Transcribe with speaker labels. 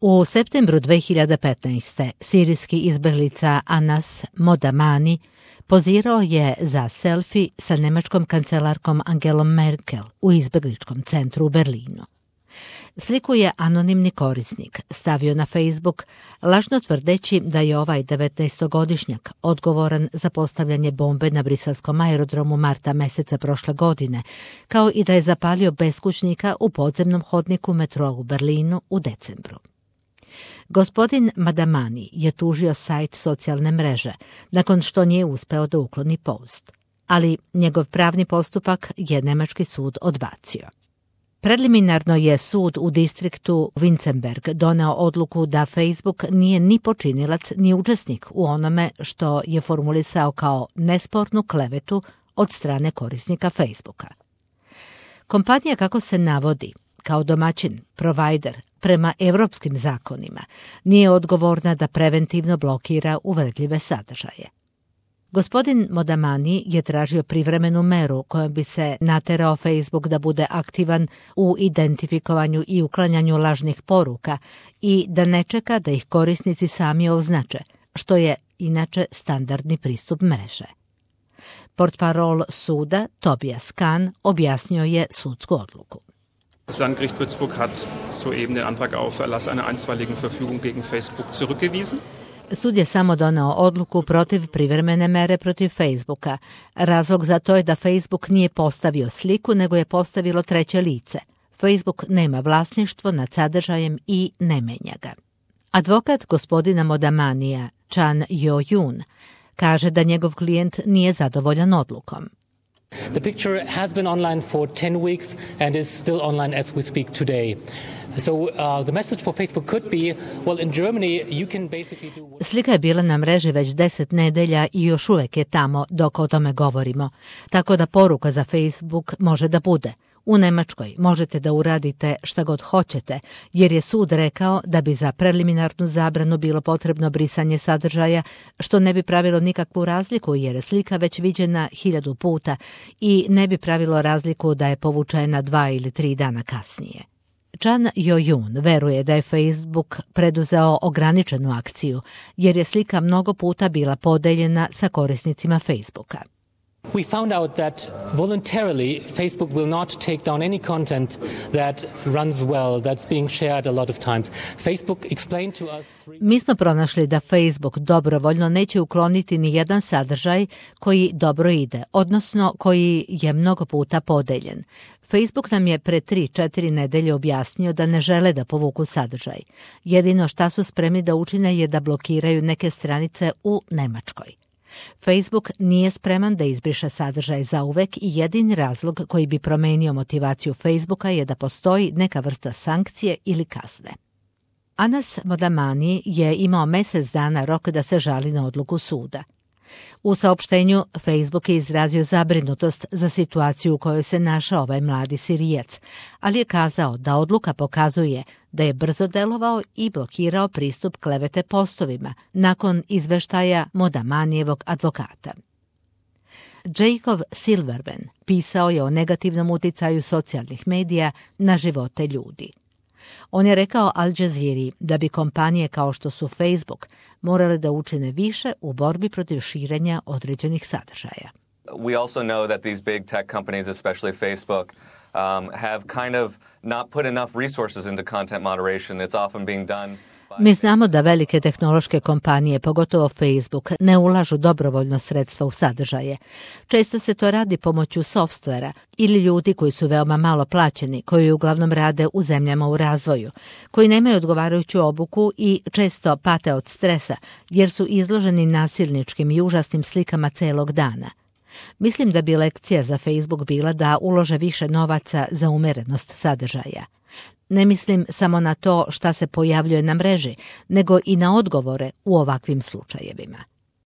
Speaker 1: U septembru 2015. sirijski izbeglica Anas Modamani pozirao je za selfie sa nemačkom kancelarkom Angelom Merkel u izbegličkom centru u Berlinu. Sliku je anonimni korisnik stavio na Facebook, lažno tvrdeći da je ovaj 19-godišnjak odgovoran za postavljanje bombe na briselskom aerodromu marta meseca prošle godine, kao i da je zapalio beskućnika u podzemnom hodniku metroa u Berlinu u decembru. Gospodin Madamani je tužio sajt socijalne mreže nakon što nije uspeo da ukloni post, ali njegov pravni postupak je nemački sud odbacio. Preliminarno je sud u distriktu Winzenberg doneo odluku da Facebook nije ni počinilac ni učesnik u onome što je formulisao kao nespornu klevetu od strane korisnika Facebooka. Kompanija, kako se navodi, kao domaćin, provajder, prema evropskim zakonima, nije odgovorna da preventivno blokira uvredljive sadržaje. Gospodin Modamani je tražio privremenu meru kojom bi se naterao Facebook da bude aktivan u identifikovanju i uklanjanju lažnih poruka i da ne čeka da ih korisnici sami označe, što je inače standardni pristup mreže. Portparol suda Tobias Kahn objasnio je sudsku odluku.
Speaker 2: Das Landgericht Würzburg hat soeben den Antrag auf Erlass einer einstweiligen Verfügung gegen Facebook zurückgewiesen.
Speaker 1: Sud je samo doneo odluku protiv privremene mere protiv Facebooka. Razlog za to je da Facebook nije postavio sliku, nego je postavilo treće lice. Facebook nema vlasništvo nad sadržajem i ne menja ga. Advokat gospodina Modamanija, Chan Yo-Yoon, kaže da njegov klijent nije zadovoljan odlukom.
Speaker 3: The picture has been online for 10 weeks and is still online as we speak today. So the message for Facebook could be, well, in Germany you can basically do...
Speaker 1: Slika je bila na mreži već 10 nedelja i još uvek je tamo dok o tome govorimo. Tako da poruka za Facebook može da bude: u Nemačkoj možete da uradite šta god hoćete, jer je sud rekao da bi za preliminarnu zabranu bilo potrebno brisanje sadržaja, što ne bi pravilo nikakvu razliku jer je slika već viđena 1000 puta i ne bi pravilo razliku da je povučena 2 ili 3 dana kasnije. Chan Yo-Yoon veruje da je Facebook preduzeo ograničenu akciju, jer je slika mnogo puta bila podeljena sa korisnicima Facebooka.
Speaker 3: We found out that voluntarily Facebook will not take down any content that runs well, that's being shared a lot of times. Facebook explained to us...
Speaker 1: Mi smo pronašli da Facebook dobrovoljno neće ukloniti ni jedan sadržaj koji dobro ide, odnosno koji je mnogo puta podeljen. Facebook nam je pre 3-4 nedelje objasnio da ne žele da povuku sadržaj. Jedino šta su spremni da učine je da blokiraju neke stranice u Nemačkoj. Facebook nije spreman da izbriše sadržaj zauvek i jedini razlog koji bi promenio motivaciju Facebooka je da postoji neka vrsta sankcije ili kazne. Anas Modamani je imao mjesec dana rok da se žali na odluku suda. U saopštenju Facebook je izrazio zabrinutost za situaciju u kojoj se našao ovaj mladi Sirijac, ali je kazao da odluka pokazuje da je brzo delovao i blokirao pristup klevete postovima nakon izveštaja Modamanijevog advokata. Jacob Silverman pisao je o negativnom uticaju socijalnih medija na živote ljudi. On je rekao Al Jazeeri da bi kompanije kao što su Facebook morale da učine više u borbi protiv širenja određenih sadržaja.
Speaker 4: We also know that these big tech companies, especially Facebook, have kind of not put enough resources into content moderation. It's often being done.
Speaker 1: Mi znamo da velike tehnološke kompanije, pogotovo Facebook, ne ulažu dobrovoljno sredstva u sadržaje. Često se to radi pomoću softvera ili ljudi koji su veoma malo plaćeni, koji uglavnom rade u zemljama u razvoju, koji nemaju odgovarajuću obuku i često pate od stresa jer su izloženi nasilničkim i užasnim slikama celog dana. Mislim da bi lekcija za Facebook bila da ulože više novaca za umerenost sadržaja. Ne mislim samo na to šta se pojavljuje na mreži, nego i na odgovore u ovakvim slučajevima.